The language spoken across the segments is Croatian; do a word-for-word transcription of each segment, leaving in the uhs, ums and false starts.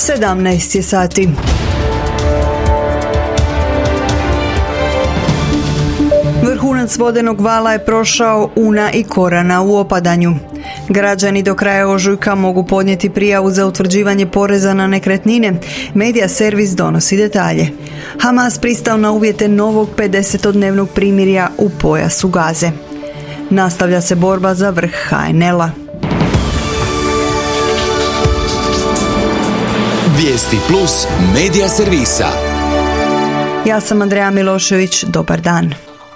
sedamnaest je sati. Vrhunac vodenog vala je prošao Una i Korana u opadanju. Građani do kraja ožujka mogu podnijeti prijavu za utvrđivanje poreza na nekretnine. Medija servis donosi detalje. Hamas pristao na uvjete novog pedesetodnevnog primirja u pojasu Gaze. Nastavlja se borba za vrh ha en el a. Vijesti plus medija servisa. Ja sam Andreja Milošević, dobar dan.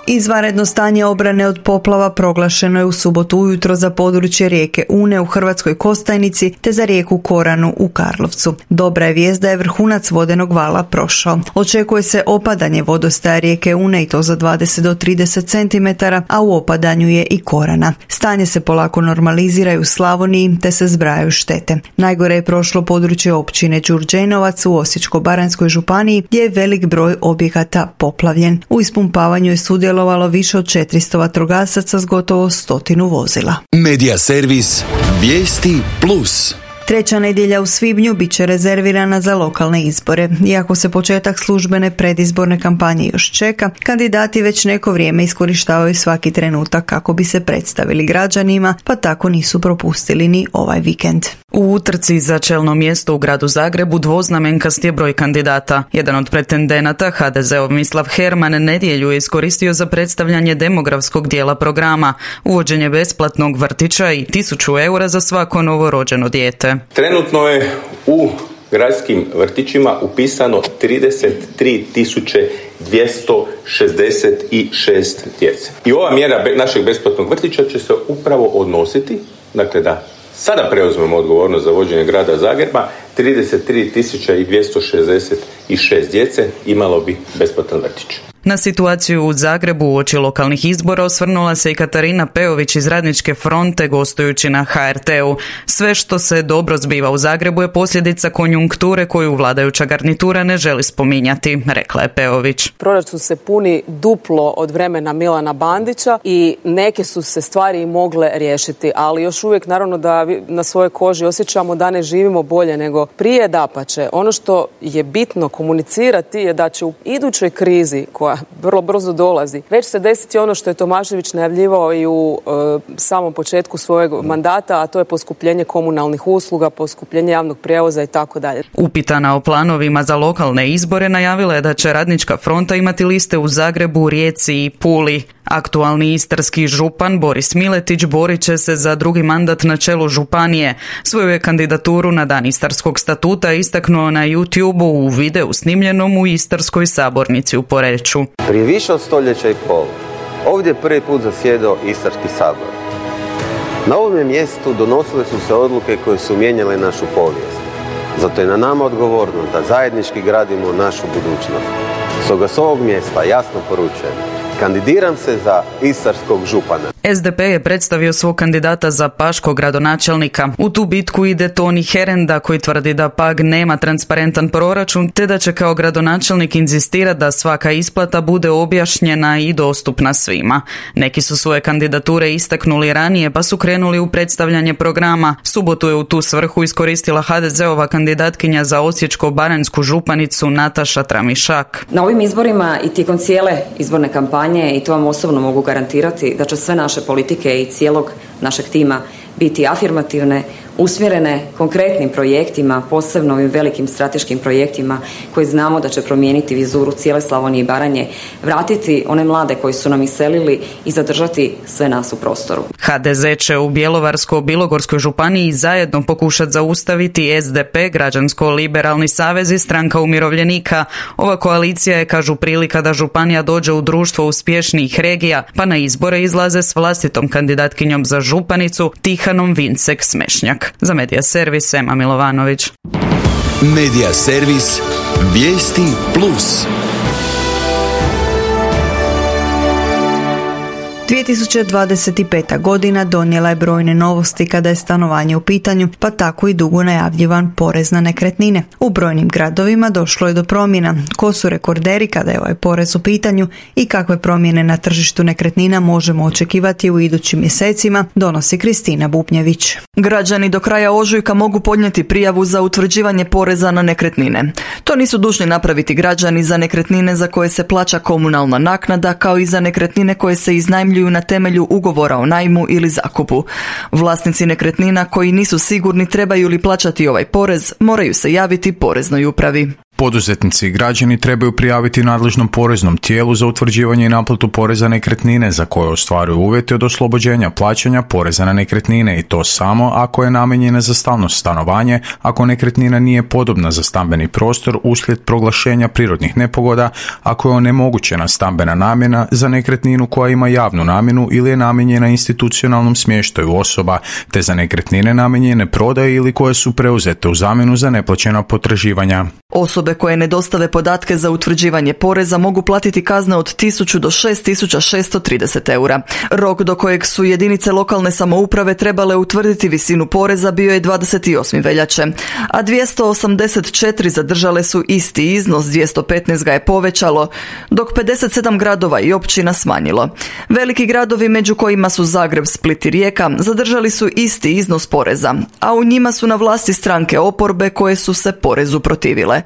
Izvanredno stanje obrane od poplava proglašeno je u subotu ujutro za područje rijeke Une u Hrvatskoj Kostajnici te za rijeku Koranu u Karlovcu. Dobra je vijest da je vrhunac vodenog vala prošao. Očekuje se opadanje vodostaja rijeke Une i to za dvadeset do trideset centimetara, a u opadanju je i Korana. Stanje se polako normalizira u Slavoniji te se zbrajaju štete. Najgore je prošlo područje općine Đurđenovac u Osječko-baranjskoj županiji gdje je velik broj objekata poplavljen. U ispumpavanju je sudjelovalo više od četiristo vatrogasaca s gotovo stotinu vozila. Medija servis Vijesti plus. Treća nedjelja u svibnju bit će rezervirana za lokalne izbore. Iako se početak službene predizborne kampanje još čeka, kandidati već neko vrijeme iskorištavaju svaki trenutak kako bi se predstavili građanima, pa tako nisu propustili ni ovaj vikend. U utrci za čelno mjesto u gradu Zagrebu dvoznamenkast je broj kandidata. Jedan od pretendenata, ha de zeov Mislav Herman, nedjelju je iskoristio za predstavljanje demografskog dijela programa, uvođenje besplatnog vrtića i tisuću eura za svako novorođeno dijete. Trenutno je u gradskim vrtićima upisano trideset tri tisuće dvjesto šezdeset šest djece. I ova mjera našeg besplatnog vrtića će se upravo odnositi, dakle da sada preuzmemo odgovornost za vođenje grada Zagreba, trideset tri tisuće dvjesto šezdeset šest djece imalo bi besplatan vrtić. Na situaciju u Zagrebu uoči lokalnih izbora osvrnula se i Katarina Peović iz Radničke fronte gostujući na ha er te u. Sve što se dobro zbiva u Zagrebu je posljedica konjunkture koju vladajuća garnitura ne želi spominjati, rekla je Peović. Proračun se puni duplo od vremena Milana Bandića i neke su se stvari i mogle riješiti, ali još uvijek naravno da na svojoj koži osjećamo da ne živimo bolje nego prije. Dapače, ono što je bitno komunicirati je da će u idućoj krizi koja vrlo brzo dolazi, već se desiti ono što je Tomašević najavljivao i u e, samom početku svojeg mandata, a to je poskupljenje komunalnih usluga, poskupljenje javnog prijevoza i tako dalje. Upitana o planovima za lokalne izbore, najavila je da će Radnička fronta imati liste u Zagrebu, Rijeci i Puli. Aktualni istarski župan Boris Miletić borit će se za drugi mandat na čelu županije. Svoju je kandidaturu na dan Istarskog statuta istaknuo na YouTubeu u videu snimljenom u Istarskoj sabornici u Poreču. Prije više od stoljeća i pol, ovdje je prvi put zasjedao Istarski sabor. Na ovom mjestu donosile su se odluke koje su mijenjale našu povijest. Zato je na nama odgovornost da zajednički gradimo našu budućnost. Stoga s ovog mjesta jasno poručujem, kandidiram se za istarskog župana. es de pe je predstavio svog kandidata za paškog gradonačelnika. U tu bitku ide Toni Herenda koji tvrdi da Pag nema transparentan proračun te da će kao gradonačelnik inzistirati da svaka isplata bude objašnjena i dostupna svima. Neki su svoje kandidature istaknuli ranije pa su krenuli u predstavljanje programa. Subotu je u tu svrhu iskoristila ha de zeova kandidatkinja za Osječko-baranjsku županicu Nataša Tramišak. Na ovim izborima i tijekom cijele izborne kampanje, i to vam osobno mogu garantirati, da će sve naše politike i cijelog našeg tima biti afirmativne, usmjerene konkretnim projektima, posebno ovim velikim strateškim projektima koji znamo da će promijeniti vizuru cijele Slavonije i Baranje, vratiti one mlade koji su nam iselili i zadržati sve nas u prostoru. ha de ze će u Bjelovarsko-bilogorskoj županiji zajedno pokušati zaustaviti es de pe, Građansko-liberalni savez i Stranka umirovljenika. Ova koalicija je, kažu, prilika da županija dođe u društvo uspješnijih regija, pa na izbore izlaze s vlastitom kandidatkinjom za županicu Tihanom Vincek Smešnjak. Za Medija servis Ema Milovanović. Medija servis Vijesti plus. dvije tisuće dvadeset peta. godina donijela je brojne novosti kada je stanovanje u pitanju, pa tako i dugo najavljivan porez na nekretnine. U brojnim gradovima došlo je do promjena. Ko su rekorderi kada je ovaj porez u pitanju i kakve promjene na tržištu nekretnina možemo očekivati u idućim mjesecima, donosi Kristina Bubnjević. Građani do kraja ožujka mogu podnijeti prijavu za utvrđivanje poreza na nekretnine. To nisu dužni napraviti građani za nekretnine za koje se plaća komunalna naknada, kao i za nekretnine koje se iznajmljuju na temelju ugovora o najmu ili zakupu. Vlasnici nekretnina koji nisu sigurni trebaju li plaćati ovaj porez, moraju se javiti poreznoj upravi. Poduzetnici i građani trebaju prijaviti nadležnom poreznom tijelu za utvrđivanje i naplatu poreza na nekretnine za koje ostvaruju uvjete od oslobođenja plaćanja poreza na nekretnine, i to samo ako je namijenjena za stalno stanovanje, ako nekretnina nije podobna za stambeni prostor uslijed proglašenja prirodnih nepogoda, ako je onemogućena stambena namjena za nekretninu koja ima javnu namjenu ili je namijenjena institucionalnom smještaju osoba, te za nekretnine namijenjene prodaji ili koje su preuzete u zamjenu za neplaćena potraživanja. Osobe koje ne dostave podatke za utvrđivanje poreza mogu platiti kazne od tisuću do šest tisuća šesto trideset eura. Rok do kojeg su jedinice lokalne samouprave trebale utvrditi visinu poreza bio je dvadeset osme veljače, a dvjesto osamdeset četiri zadržale su isti iznos, dvjesto petnaest ga je povećalo, dok pedeset sedam gradova i općina smanjilo. Veliki gradovi, među kojima su Zagreb, Split i Rijeka, zadržali su isti iznos poreza, a u njima su na vlasti stranke oporbe koje su se porezu protivile.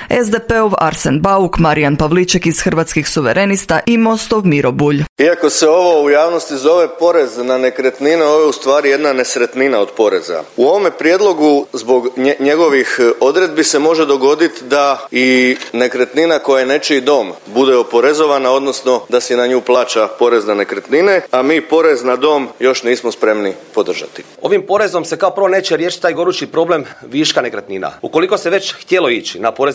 es de pe-ov Arsen Bauk, Marijan Pavliček iz Hrvatskih suverenista i Mostov Miro Bulj. Iako se ovo u javnosti zove porez na nekretnine, ovo je u stvari jedna nesretnina od poreza. U ovome prijedlogu zbog nje, njegovih odredbi se može dogoditi da i nekretnina koja je nečiji dom bude oporezovana, odnosno da se na nju plaća porez na nekretnine, a mi porez na dom još nismo spremni podržati. Ovim porezom se kao prvo neće riješiti taj gorući problem viška nekretnina. Ukoliko se već htjelo ići na porez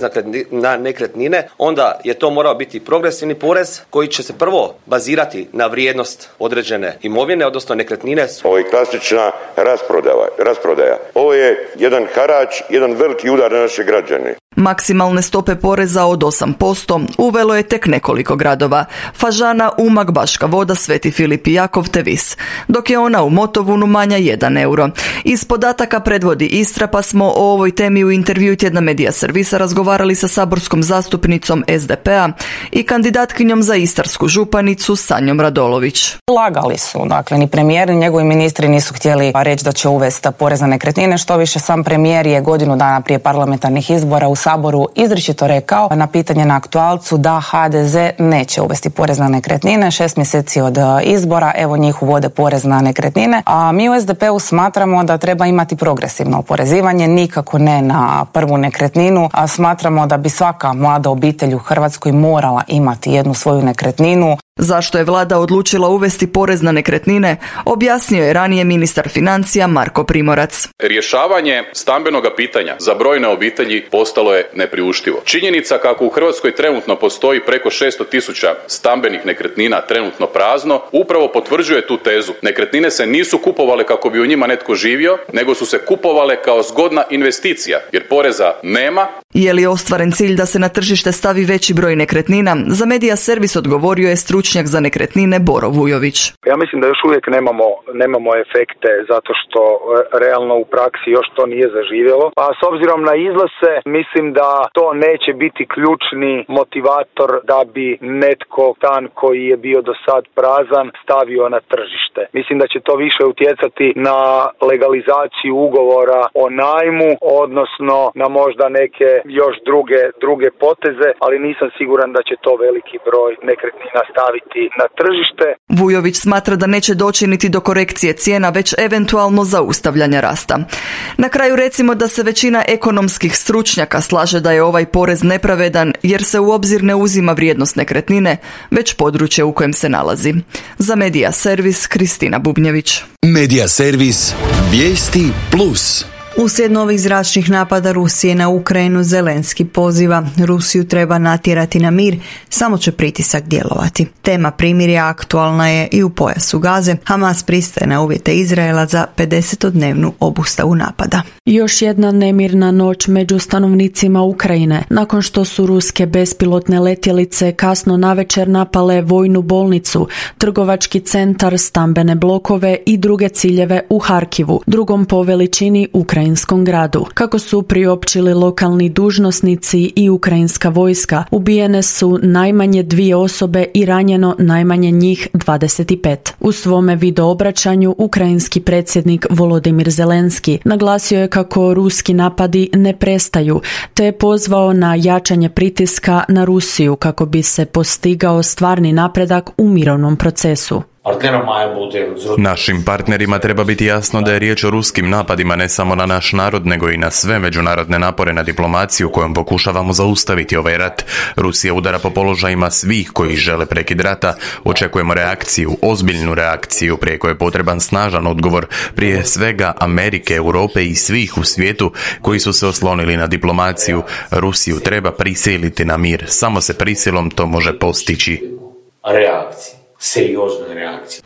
na nekretnine, onda je to morao biti progresivni porez koji će se prvo bazirati na vrijednost određene imovine, odnosno nekretnine. Ovo je klasična rasprodaja. rasprodaja. Ovo je jedan harač, jedan veliki udar na naše građane. Maksimalne stope poreza od osam posto uvelo je tek nekoliko gradova: Fažana, Umag, Baška Voda, Sveti Filip i Jakov te Vis, dok je ona u Motovunu manja jedan euro. Iz podataka predvodi Istra, pa smo o ovoj temi u intervju tjedna Medija Servisa razgovarali sa saborskom zastupnicom es de pe-a i kandidatkinjom za istarsku županicu Sanjom Radolović. Lagali su, dakle ni premijer ni njegovi ministri nisu htjeli reći da će uvesti porez na nekretnine, što više sam premijer je godinu dana prije parlamentarnih izbora u Saboru izričito rekao na pitanje na aktualcu da ha de ze neće uvesti porez na nekretnine. Šest mjeseci od izbora, evo njih uvode porez na nekretnine, a mi u es de pe-u smatramo da treba imati progresivno oporezivanje, nikako ne na prvu nekretninu, a smatramo da bi svaka mlada obitelj u Hrvatskoj morala imati jednu svoju nekretninu. Zašto je vlada odlučila uvesti porez na nekretnine, objasnio je ranije ministar financija Marko Primorac. Rješavanje stambenog pitanja za brojne obitelji postalo je nepriuštivo. Činjenica kako u Hrvatskoj trenutno postoji preko šesto tisuća stambenih nekretnina trenutno prazno, upravo potvrđuje tu tezu. Nekretnine se nisu kupovale kako bi u njima netko živio, nego su se kupovale kao zgodna investicija, jer poreza nema. Je li ostvaren cilj da se na tržište stavi veći broj nekretnina? Za Medija Servis odgovorio je stručnjak za nekretnine Boro Vujović. Ja mislim da još uvijek nemamo, nemamo efekte zato što realno u praksi još to nije zaživjelo. A s obzirom na iznose mislim da to neće biti ključni motivator da bi netko stan koji je bio do sad prazan stavio na tržište. Mislim da će to više utjecati na legalizaciju ugovora o najmu, odnosno na možda neke još druge, druge poteze, ali nisam siguran da će to veliki broj nekretnina staviti na tržište. Vujović smatra da neće doći niti do korekcije cijena, već eventualno zaustavljanja rasta. Na kraju recimo da se većina ekonomskih stručnjaka slaže da je ovaj porez nepravedan jer se u obzir ne uzima vrijednost nekretnine, već područje u kojem se nalazi. Za Medija Servis, Kristina Bubnjević. Medija Servis, vijesti plus. Uslijed novih zračnih napada Rusije na Ukrajinu, Zelenski poziva: Rusiju treba natjerati na mir, samo će pritisak djelovati. Tema primirja aktualna je i u pojasu Gaze. Hamas pristaje na uvjete Izraela za pedesetodnevnu obustavu napada. Još jedna nemirna noć među stanovnicima Ukrajine, nakon što su ruske bespilotne letjelice kasno navečer napale vojnu bolnicu, trgovački centar, stambene blokove i druge ciljeve u Harkivu, drugom po veličini ukrajinskom gradu. Kako su priopćili lokalni dužnosnici i ukrajinska vojska, ubijene su najmanje dvije osobe i ranjeno najmanje njih dvadeset pet. U svome videoobraćanju ukrajinski predsjednik Volodimir Zelenski naglasio je kako ruski napadi ne prestaju, te je pozvao na jačanje pritiska na Rusiju kako bi se postigao stvarni napredak u mirovnom procesu. Našim partnerima treba biti jasno da je riječ o ruskim napadima ne samo na naš narod, nego i na sve međunarodne napore na diplomaciju kojom pokušavamo zaustaviti ovaj rat. Rusija udara po položajima svih koji žele prekid rata. Očekujemo reakciju, ozbiljnu reakciju, prije koje je potreban snažan odgovor, prije svega Amerike, Europe i svih u svijetu koji su se oslonili na diplomaciju. Rusiju treba prisiliti na mir. Samo se prisilom to može postići. Reakcija.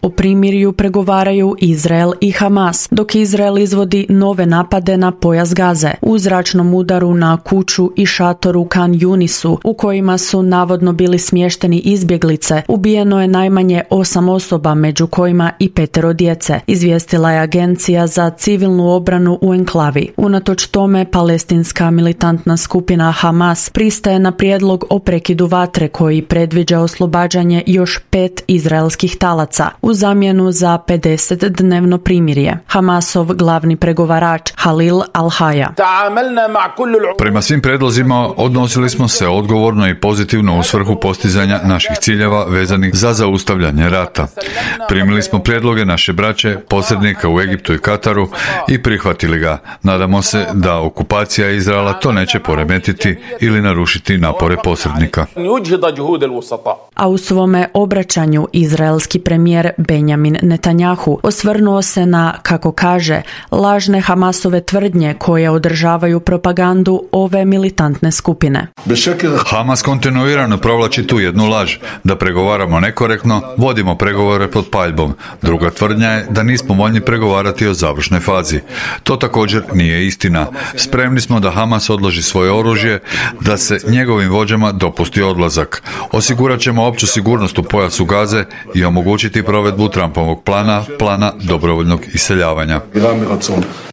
O primirju pregovaraju Izrael i Hamas, dok Izrael izvodi nove napade na pojas Gaze. U zračnom udaru na kuću i šator u Khan Yunisu, u kojima su navodno bili smješteni izbjeglice, ubijeno je najmanje osam osoba, među kojima i petero djece, izvijestila je Agencija za civilnu obranu u enklavi. Unatoč tome, palestinska militantna skupina Hamas pristaje na prijedlog o prekidu vatre koji predviđa oslobađanje još pet izraelskih talaca u zamjenu za pedesetdnevno primirje. Hamasov glavni pregovarač Halil Al-Haya: Prema svim predlozima odnosili smo se odgovorno i pozitivno u svrhu postizanja naših ciljeva vezanih za zaustavljanje rata. Primili smo prijedloge naše braće, posrednika u Egiptu i Kataru i prihvatili ga. Nadamo se da okupacija Izraela to neće poremetiti ili narušiti napore posrednika. A u svome obraćanju izraelski premijer Benjamin Netanjahu osvrnuo se na, kako kaže, lažne Hamasove tvrdnje koje održavaju propagandu ove militantne skupine. Hamas kontinuirano provlači tu jednu laž, da pregovaramo nekorektno, vodimo pregovore pod paljbom. Druga tvrdnja je da nismo voljni pregovarati o završnoj fazi. To također nije istina. Spremni smo da Hamas odloži svoje oružje, da se njegovim vođama dopusti odlazak. Osigurat ćemo opću sigurnost u pojasu Gaze i omogućiti provedbu Trumpovog plana, plana dobrovoljnog iseljavanja.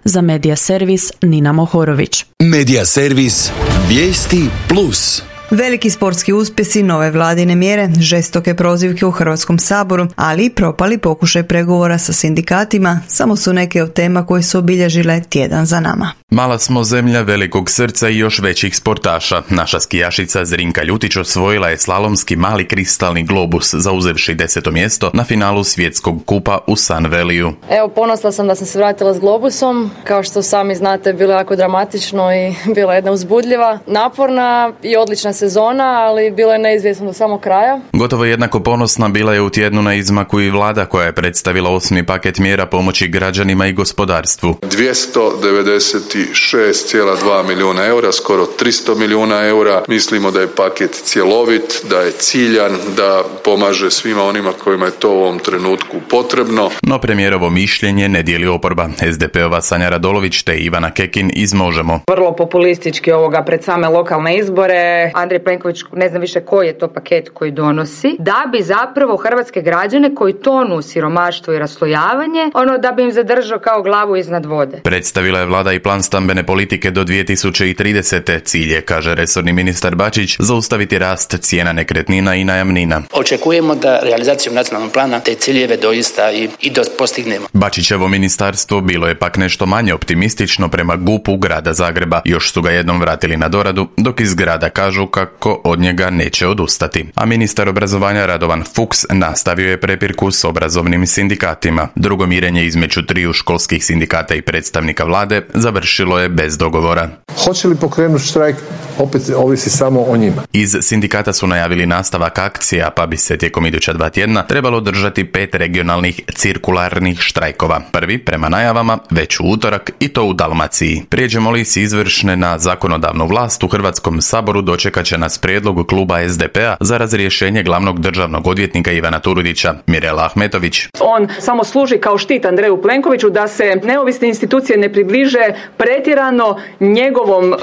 Za Medija servis Nina Mohorović. Medija servis Vijesti plus. Veliki sportski uspjesi, nove vladine mjere, žestoke prozivke u Hrvatskom saboru, ali i propali pokušaj pregovora sa sindikatima, samo su neke od tema koje su obilježile tjedan za nama. Mala smo zemlja velikog srca i još većih sportaša. Naša skijašica Zrinka Ljutić osvojila je slalomski mali kristalni globus, zauzevši deseto mjesto na finalu svjetskog kupa u Sun Valleyu. Evo, ponosna sam da sam se vratila s globusom. Kao što sami znate, bilo je jako dramatično i bila jedna uzbudljiva, naporna i odlična sezona, ali bilo je neizvjesno do samog kraja. Gotovo jednako ponosna bila je u tjednu na izmaku i vlada koja je predstavila osmi paket mjera pomoći građanima i gospodarstvu. dvjesto devedeset šest zarez dva milijuna eura, skoro tristo milijuna eura. Mislimo da je paket cjelovit, da je ciljan, da pomaže svima onima kojima je to u ovom trenutku potrebno. No premijerovo mišljenje ne dijeli oporba. es de pe ova Sanja Radolović te Ivana Kekin iz Možemo. Vrlo populistički ovoga pred same lokalne izbore. Andrej Plenković, ne znam više koji je to paket koji donosi, da bi zapravo hrvatske građane koji tonu u siromaštvo i raslojavanje, ono da bi im zadržao kao glavu iznad vode. Predstavila je vlada i plan stambene politike do dvije tisuće tridesete. Cilj je, kaže resorni ministar Bačić, zaustaviti rast cijena nekretnina i najamnina. Očekujemo da realizacijom nacionalnog plana te ciljeve doista i, i do postignemo. Bačićevo ministarstvo bilo je pak nešto manje optimistično prema G U P-u grada Zagreba. Još su ga jednom vratili na doradu, dok iz grada kažu kako od njega neće odustati. A ministar obrazovanja Radovan Fuchs nastavio je prepirku s obrazovnim sindikatima. Drugo mirenje između triju školskih sindikata i predstavnika vlade završilo je bez dogovora. Hoće li pokrenuti štrajk? opet ovisi samo o njima. Iz sindikata su najavili nastavak akcija, pa bi se tijekom iduća dva tjedna trebalo održati pet regionalnih cirkularnih štrajkova. Prvi, prema najavama, već u utorak i to u Dalmaciji. Prijeđemo li s izvršne na zakonodavnu vlast, u Hrvatskom saboru dočekat će nas prijedlog kluba es de pe a za razrješenje glavnog državnog odvjetnika Ivana Turudića. Mirela Ahmetović. On samo služi kao štit Andreju Plenkoviću da se neovisne institucije ne približe pretjerano njegovom uh,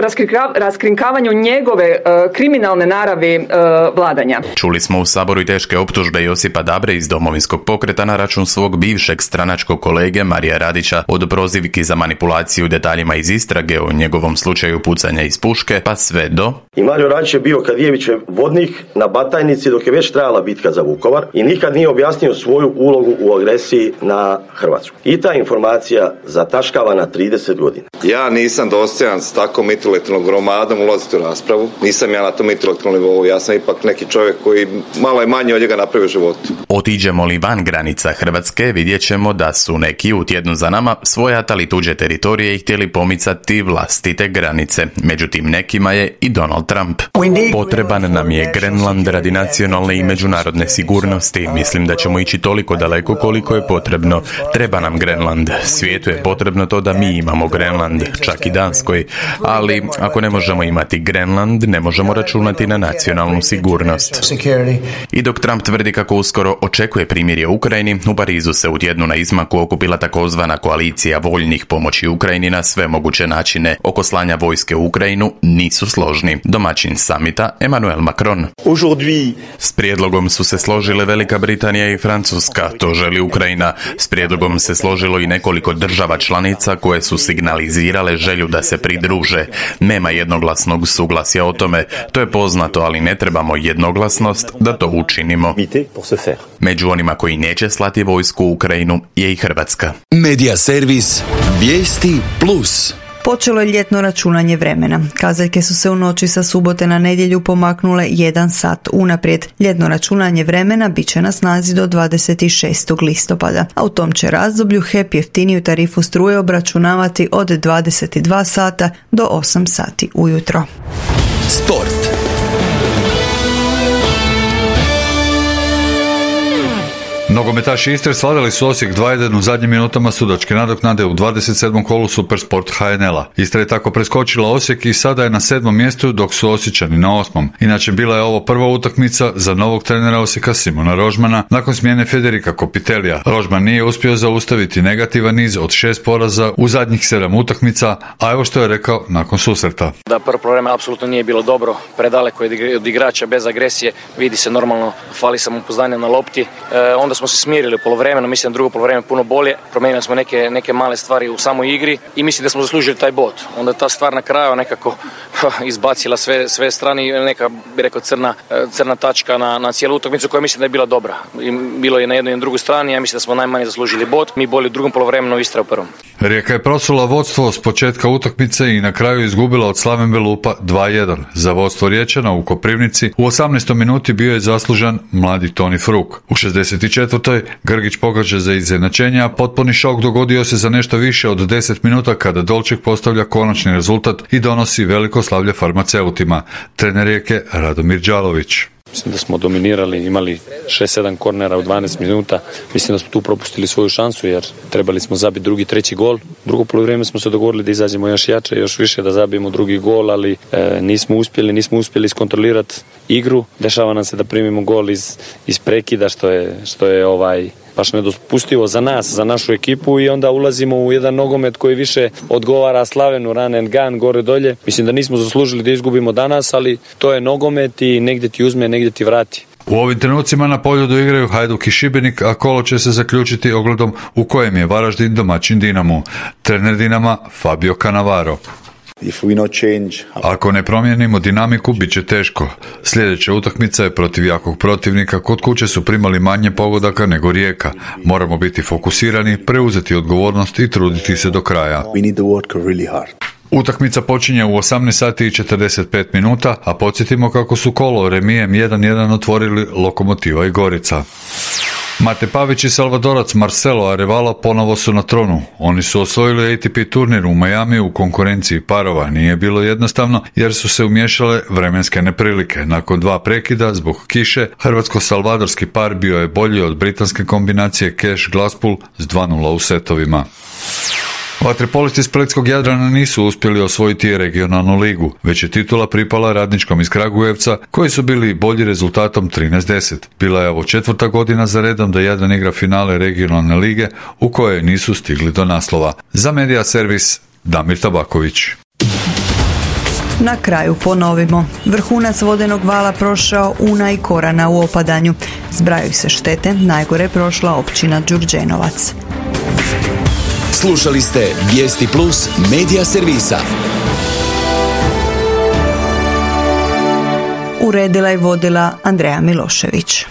raskrinka, raskrinkavanju njegove uh, kriminalne naravi uh, vladanja. Čuli smo u saboru i teške optužbe Josipa Dabre iz Domovinskog pokreta na račun svog bivšeg stranačkog kolege Marija Radića, od prozivki za manipulaciju detaljima iz istrage o njegovom slučaju pucanja iz puške, pa sve do... I Mario Radić je bio Kadijevićev vodnik na Batajnici dok je već trajala bitka za Vukovar i nikad nije objasnio svoju ulogu u agresiji na Hrvatsku. I ta informacija zataškava na trideset godina. Ja nisam dostojan s tako intelektualnom gromadom ulaziti u raspravu. Nisam ja na tom intelektualnom nivou. Ja sam ipak neki čovjek koji malo je manje od njega napravio u životu. Otiđemo li van granica Hrvatske, vidjet ćemo da su neki u tjednu za nama svojatali tuđe teritorije i htjeli pomicati vlastite granice. Međutim, nekima je i Donald Trump. Potreban nam je Grenland radi nacionalne i međunarodne sigurnosti. Mislim da ćemo ići toliko daleko koliko je potrebno. Treba nam Grenland. Svijetu je potrebno to da mi imamo Grenland, čak i Danskoj. Ali ako ne možemo imati Grenland, ne možemo računati na nacionalnu sigurnost. I dok Trump tvrdi kako uskoro očekuje primirje u Ukrajini, u Parizu se u tjednu na izmaku okupila takozvana koalicija voljnih pomoći Ukrajini na sve moguće načine. Oko slanja vojske u Ukrajinu nisu složni. Domaćin samita Emmanuel Macron. S prijedlogom su se složile Velika Britanija i Francuska, to želi Ukrajina. S prijedlogom se složilo i nekoliko država članica koje su signalizirale želju da se pridruže. Nema jednoglasnog suglasja o tome, to je poznato, ali ne trebamo jednoglasnost da to učinimo. Među onima koji neće slati vojsku u Ukrajinu je i Hrvatska. Medija servis Vijesti Plus. Počelo je ljetno računanje vremena. Kazaljke su se u noći sa subote na nedjelju pomaknule jedan sat unaprijed. Ljetno računanje vremena bit će na snazi do dvadeset šestog listopada, a u tom će razdoblju H E P jeftiniju tarifu struje obračunavati od dvadeset dva sata do osam sati ujutro. Sport. Nogometaši Istre svladali su Osijek dva jedan u zadnjim minutama sudačke nadoknade u dvadeset sedmom kolu Supersport H N L-a. Istra je tako preskočila Osijek i sada je na sedmom mjestu, dok su Osječani na osmom. Inače, bila je ovo prva utakmica za novog trenera Osijeka Simona Rožmana nakon smjene Federika Kopitelija. Rožman nije uspio zaustaviti negativan niz od šest poraza u zadnjih sedam utakmica, a evo što je rekao nakon susreta. Da prvo problema apsolutno nije bilo dobro, predaleko je od igrača, bez agresije, vidi se normalno, fali samopouzdanja na lopti, e, onda smo se smirili u polovremenu, mislim da drugo polovreme puno bolje, promijenili smo neke, neke male stvari u samoj igri i mislim da smo zaslužili taj bod. Onda ta stvar na kraju nekako izbacila sve, sve strane i neka, bi rekao, crna, crna tačka na, na cijelu utakmicu koja mislim da je bila dobra. I bilo je na jednoj i na drugoj strani, ja mislim da smo najmanje zaslužili bod, mi bolje u drugom polovremenu, Istra u prvom. Rijeka je prosula vodstvo s početka utakmice i na kraju izgubila od Slaven Belupa dva jedan. Za vodstvo Riječana u Koprivnici u osamnaestoj minuti bio je zaslužan mladi Toni Fruk. U šezdeset četvrtoj Grgić pogađa za izjednačenje, a potpuni šok dogodio se za nešto više od deset minuta kada Dolček postavlja konačni rezultat i donosi veliko slavlje farmaceutima. Trener Rijeke Radomir Đalović. Mislim da smo dominirali, imali šest sedam kornera u dvanaest minuta. Mislim da smo tu propustili svoju šansu jer trebali smo zabiti drugi, treći gol. Drugo poluvreme smo se dogovorili da izađemo još jače, još više da zabijemo drugi gol, ali e, nismo uspjeli, nismo uspjeli iskontrolirati igru. Dešava nam se da primimo gol iz, iz prekida što je, što je ovaj baš nedopustivo za nas, za našu ekipu i onda ulazimo u jedan nogomet koji više odgovara Slavenu, run and gun, gore dolje. Mislim da nismo zaslužili da izgubimo danas, ali to je nogomet i negdje ti uzme, negdje ti vrati. U ovim trenucima na Poljudu igraju Hajduk i Šibenik, a kolo će se zaključiti ogledom u kojem je Varaždin domaćin Dinamu. Trener Dinama Fabio Cannavaro. Ako ne promijenimo dinamiku, bit će teško. Sljedeća utakmica je protiv jakog protivnika. Kod kuće su primali manje pogodaka nego Rijeka. Moramo biti fokusirani, preuzeti odgovornost i truditi se do kraja. Utakmica počinje u osamnaest sati i četrdeset pet minuta, a podsjetimo kako su kolo remijem jedan jedan otvorili Lokomotiva i Gorica. Mate Pavić i Salvadorac Marcelo Arevalo ponovo su na tronu. Oni su osvojili A T P turnir u Miami u konkurenciji parova. Nije bilo jednostavno jer su se umiješale vremenske neprilike. Nakon dva prekida zbog kiše, hrvatsko-salvadorski par bio je bolji od britanske kombinacije Cash-Glasspool s dva nula u setovima. Vaterpolisti Spletskog Jadrana nisu uspjeli osvojiti regionalnu ligu, već je titula pripala Radničkom iz Kragujevca, koji su bili bolji rezultatom trinaest deset. Bila je ovo četvrta godina za redom da Jadran igra finale regionalne lige, u kojoj nisu stigli do naslova. Za Media Servis, Damir Tabaković. Na kraju ponovimo. Vrhunac vodenog vala prošao Una i Korana u opadanju. Zbrajaju se štete, najgore prošla općina Đurđenovac. Slušali ste Vijesti Plus Media Servisa. Uredila i vodila Andreja Milošević.